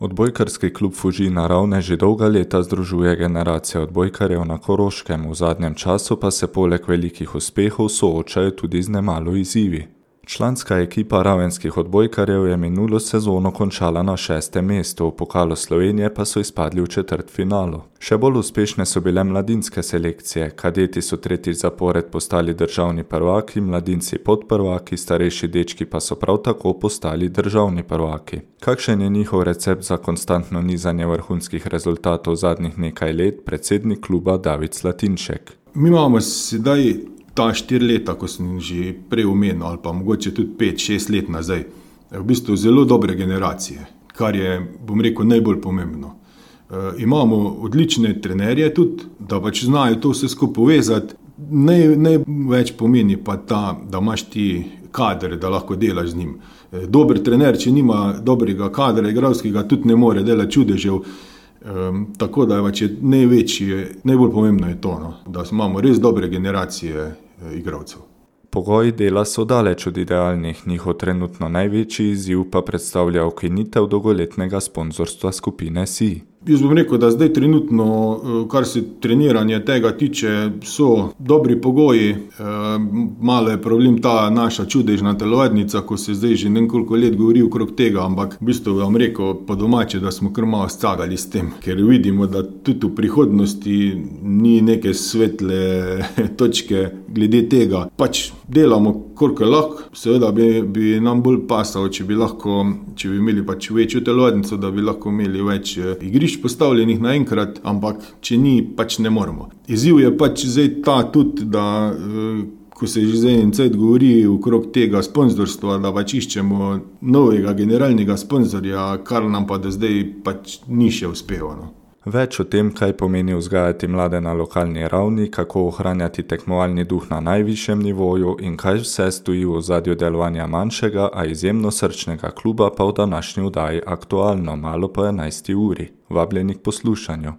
Odbojkarski klub Fužina Ravne že dolga leta združuje generacije odbojkarjev na Koroškem, v zadnjem času pa se poleg velikih uspehov soočajo tudi z nemalo izzivi. Članska ekipa ravenskih odbojkarjev je minulo sezono končala na 6. mestu, v pokalu Slovenije pa so izpadli v četrtfinalu. Še bolj uspešne so bile mladinske selekcije, kadeti so tretjič zapored postali državni prvaki, mladinci podprvaki, starejši dečki pa so prav tako postali državni prvaki. Kakšen je njihov recept za konstantno nizanje vrhunskih rezultatov zadnjih nekaj let, predsednik kluba David Slatinšek? Mi imamo sedaj ta 4 leta, ko sem že prej omenil, ali pa mogoče tudi 5-6 let nazaj, v bistvu zelo dobre generacije, kar je, bom rekel, najbolj pomembno. Imamo odlične trenerje tudi, da pač znajo to vse skupaj povezati. Največ pomeni pa ta, da imaš ti kader, da lahko delaš z njim. Dober trener, če nima dobrega kadra igralskega, tudi ne more delati čudežev. Tako da je najbolj pomembno je to, da imamo res dobre generacije igralcev. Pogoji dela so daleč od idealnih, njihov trenutno največji izziv pa predstavlja ukinitev dolgoletnega sponzorstva skupine SI. Jaz bom rekel, da zdaj trenutno, kar se treniranja tega tiče, so dobri pogoji. Malo je problem ta naša čudežna telovadnica, ko se zdaj že nekoliko let govori okrog tega, ampak v bistvu vam rekel po domače, da smo kar malo scagali s tem, ker vidimo, da tudi v prihodnosti ni neke svetle točke glede tega. Pač delamo, koliko lahko, seveda bi nam bolj pasalo, če bi imeli pač večjo telovadnico, da bi lahko imeli več igrišč postavljenih naenkrat, ampak če ni, pač ne moremo. Izziv je pač zdaj ta tudi, da ko se že zdaj en cajt govori okrog tega sponzorstva, da pač iščemo novega generalnega sponzorja, kar nam pa do zdaj pač ni še uspelo. Več o tem, kaj pomeni vzgajati mlade na lokalni ravni, kako ohranjati tekmovalni duh na najvišjem nivoju in kaj vse stoji v ozadju delovanja manjšega, a izjemno srčnega kluba pa v današnji oddaji aktualno malo po 11. uri. Vabljeni k poslušanju.